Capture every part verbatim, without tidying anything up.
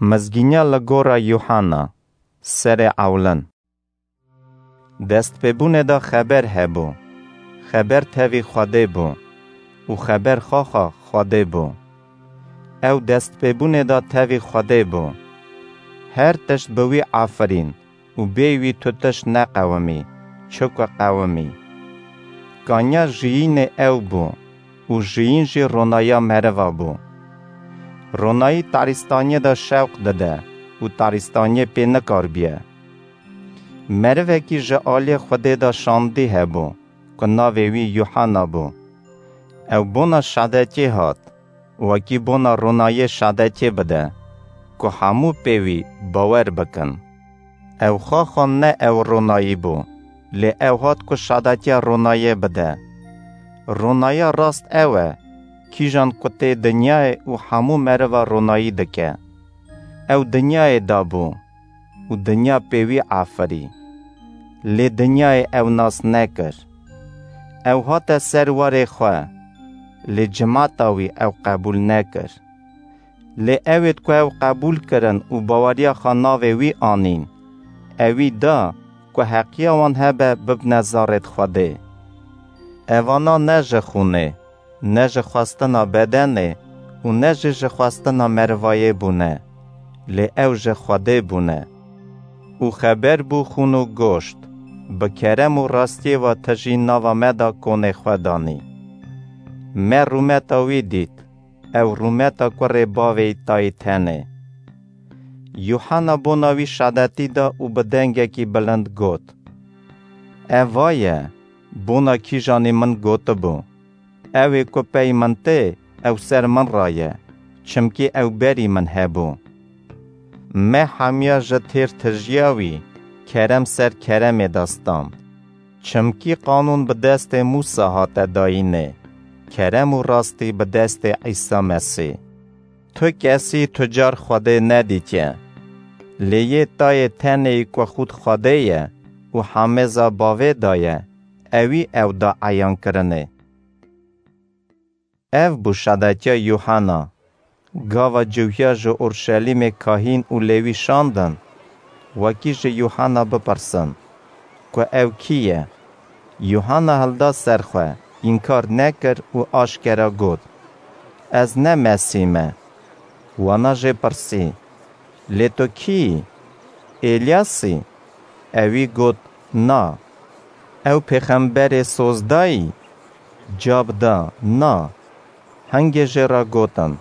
Mizgîniya li gora Yuhanna, serê ewlin. Destpêbûnê de xeber hebû. Xeber tevî Xwedê bû û xeber xaxa Xwedê bû. Ew destpêbûnê de tevî Xwedê bû. Her tişt bi wî afirîn û bê wî tu tişt neqewimî, çi ku qewimî. Kanya jiyînê ew bû û jiyîn jî ronaya meriva bû. Ronayî tarîstaniyê de şewq dide û tarîstaniyê pê nikarbiye. Merivekî ji aliyê Xwedê de şandî hebû ku navê wî Yuhanna bû. Ew bona şadetiyê hat, wekî bona ronayê şadetiyê bide, ku hemû pê wî bawer bikin. Ew xaxa ne ew ronayî bû, lê ew hat ku şadetiya ronayê bide. Ronaya rast ew e, kîjan ku tê dinyayê û hemû meriva ronayî dike. Ew dinyayê de bû û dinya pê wî afirî. Lê dinyayê ew nas nekir. Ew hate ser warê xwe, lê cimata wî ew qebûl nekir. Lê ewêd ku ew qebûl kirin û baweriya xwe navê wî anîn, ewî da ku heqiya wan hebe bibne zarêd Xwedê. Evana ne ji xûnê, ne ji xwestina bedenê û ne jî ji xwestina merivayê bûne, lê ew ji Xwedê bûne. Û xeber bû xûn û goşt, bi kerem û rastiyê ve tijî nava me de konê xwe danî. Me rûmeta wî dît, ew rûmeta kurê bavê tayê tenê. Yuhanna bona wî şadetî da û bi dengekî bilind got: Ev va ye, bona kîjanî min gotibû: Ew ê ku pey min tê, ew ser min re ye, çimkî ew berî min hebû. Me hemiya ji têr tijiya wî kerem ser keremê de stand. Çimkî qanûn bi destê Mûsa hate dayînê, kerem û rastî bi destê Îsa Mesîh. Tu kesî tu car Xwedê nedîtiye. Lê yê tayê tenê ku xûd Xwedê ye û hamêza bavê de ye, ewî ew da eyankirinê. Ev bû şadetiya Yuhanna. Gava ciwiya ji Urşelîmê kahîn û lêwî şandin, wekî ji Yuhanna bipirsin, ku ew kî ye. Yuhanna hilda ser xwe, înkar nekir û aşkera got: Ez ne Mesîh me. Wana jê pirsî: Lê tu kî yî? Êlyas î? Ewî got: Na. Ew pêxemberê sozdayî? Cab da: Na. Hingê jê re gotin: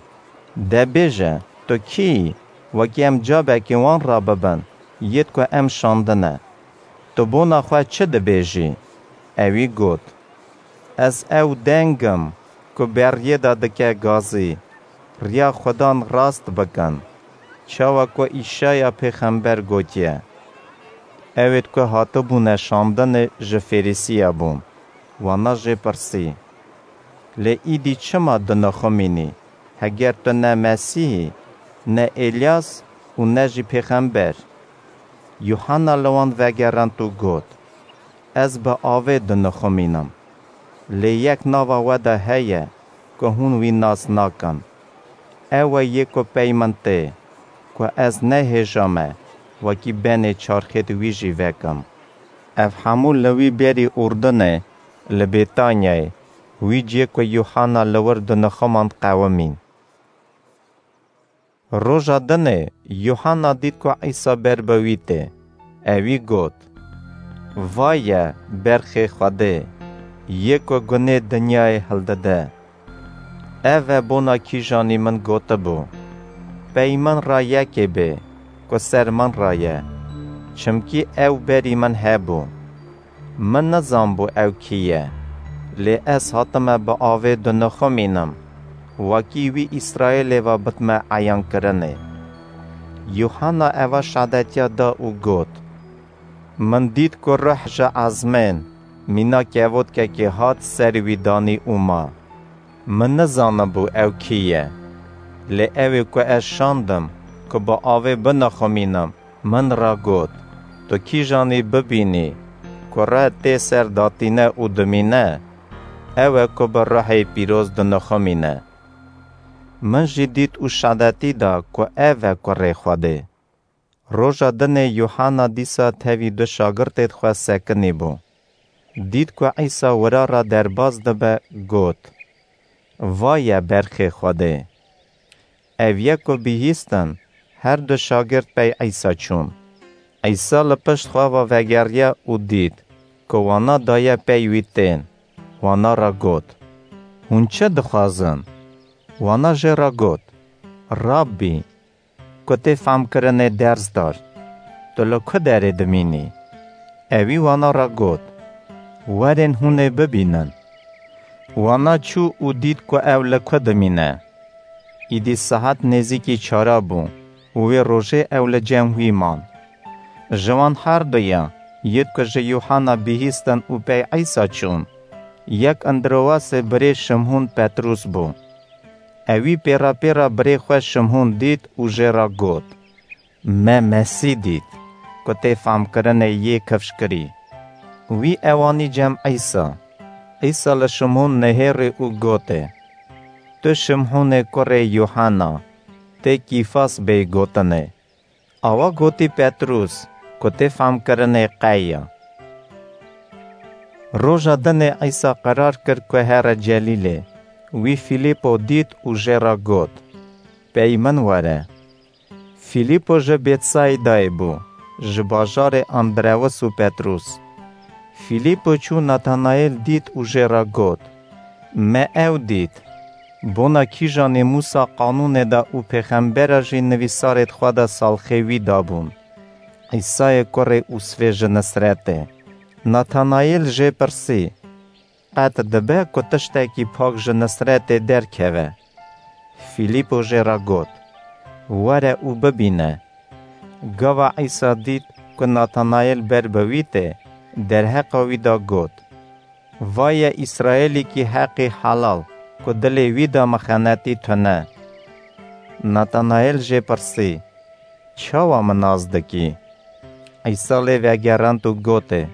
De bêje, tu kî yî, wekî em cabekî wan re bibin, yêd ku em şandine. Tu bona xwe çi dibêjî? Ewî got: Ez ew deng im ku beriyê de dike gazî, riya Xudan rast bikin, çawa ku Îşaya pêxember gotiye. Ewêd ku hatibûne şandinê ji Fêrîsiya bûn. Wana jê pirsî: Lê îdî çima dinixumînî, heger tu ne Mesîh î, ne Êlyas û ne jî pêxember? Yuhanna li wan vegerand û got: Ez bi avê dinixumînim. Lê yek nava we de heye ku hûn wî nas nakin. Ew e yê ku pey min tê, ku ez nehêja me wekî benê çarxêd wî jî vekim. Ev hemû li wî berî Urdinê, li Bêtanyayê, wî cihê ku Yuhanna li wir dinixumand qewimîn. Roja dinê Yuhanna dît ku Îsa ber bi wî tê. Ewî got: Vaye berxê Xwedê, yê ku gunê dinyayê hildide. Ev e bona kîjanî min gotibû: Pey min re yekê bê, ku ser min re ye, çimkî ew berî min hebû. Min nizanbû ew kî ye, lê ez hatime bi avê dinixumînim, wekî wî Îsraîlê ve bidime eyankirinê. Yuhanna eva şadetiya da û got: Min dît ku ruh ji ezmên mîna kevotkekê hat serî wî danî û ma. Min nizanibû ew kî ye. Lê ewê ku ez şandim ku bi avê binixumînim, min re got: Tu kîjanî bibînî ku re tê ser datîne û dimîne, ew e ku bi ruhê pîroz dinixumîne. Min jî dît û şadetî da ku ev e kurê Xwedê. Roja dinê Yuhanna dîsa tevî du şagirtêd xwe sekinî bû. Dît ku Îsa wira re derbas dibe, got, "Va ye berxê Xwedê." Ev ye ku bihîstin, her du şagirt pey Îsa çûn. Îsa li pişt xwe ve vegeriya û dît ku wana daye pey wî tên. Wana re got, "Hûn çi dixwazin?" Wana jê re got, "Rabbî, ku tê femkirinê dersdar, tu li ku derê dimînî?" Ewî wana re got, "Werin hûn ê bibînin." Wana çû û dît ku ew li ku dimîne. Îdî saet nêzîkî çara bû û wê rojê ew li cem wî man. Ji wan herduya, yêd ku ji Yuhanna bihîstin û pey Îsa çûn, yek Andrewasê birê Şimhûn Petrûs bû. Ewî pêra pêra birê xwe Şimhûn dît û jê re got, "Me Mesîh dît, ku tê femkirinê yê kifşkirî." Wî ewanî cem Îsa. Îsa li Şimhûn nihêrî û gotê, "Tu Şimhûnê kurê Yuhanna, tê Kîfas bêyî gotinê." Awa gotî Petrûs, ku tê femkirinê qey ya. Roja dinê Îsa qerar kir ku here Celîlê. Wî Fîlîpo dît û jê re got, "Pey min were." Fîlîpo ji Bêtsaîdayê bû, ji bajarê Andrewis û Petrûs. Fîlîpo çû Natanayêl dît û jê re got, "Me ew dît, bona kîjanê Mûsa qanûnê de û pêxembera jî nivîsarêd xwe de salxê wî dabûn. Îsayê kurê Ûsvê ji Nisretê." Natanayêl jê pirsî, "Qet dibe ku tiştekî pak ji Nisretê derkeve?" Fîlîpo jê re got, "Were û bibîne." Gava Îsa dît ku Natanayêl ber bi wî tê, derheqa wî de got, "Va ye Îsraêlîkî heqî helal, ku dilê wî de mixenetî tune." Natanayêl jê pirsî, "Çawa min nas dikî?" Îsa lê vegerand û gotê,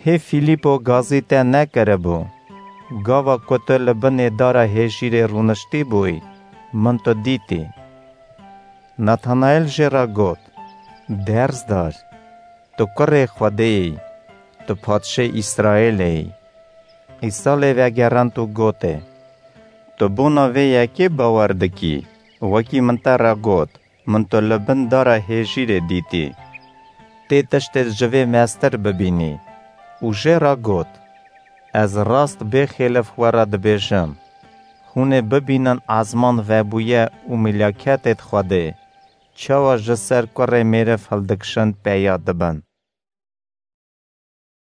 "Hê Fîlîpo gazî te nekiribû, gava ku tu li binê dara hêjîrê rûniştî bûyî, min tu dîtî." Natanayêl jê re got, "Dersdar, tu kurê Xwedê yî, tu padşê Îsraêlê yî." Îsa lê vegerand û gotê, "Tu bona vê yekê bawer dikî, wekî min te re got, min tu li bin dara hêjîrê dîtî. Tê tiştê ji vê mestir bibînî." Û jê re got, "Ez rast bêxêlif we re dibêjim, hûn ê bibînin ezman vebûye û milaketêd Xwedê, çawa ji ser kurê mêriv hildikişin peya dibin."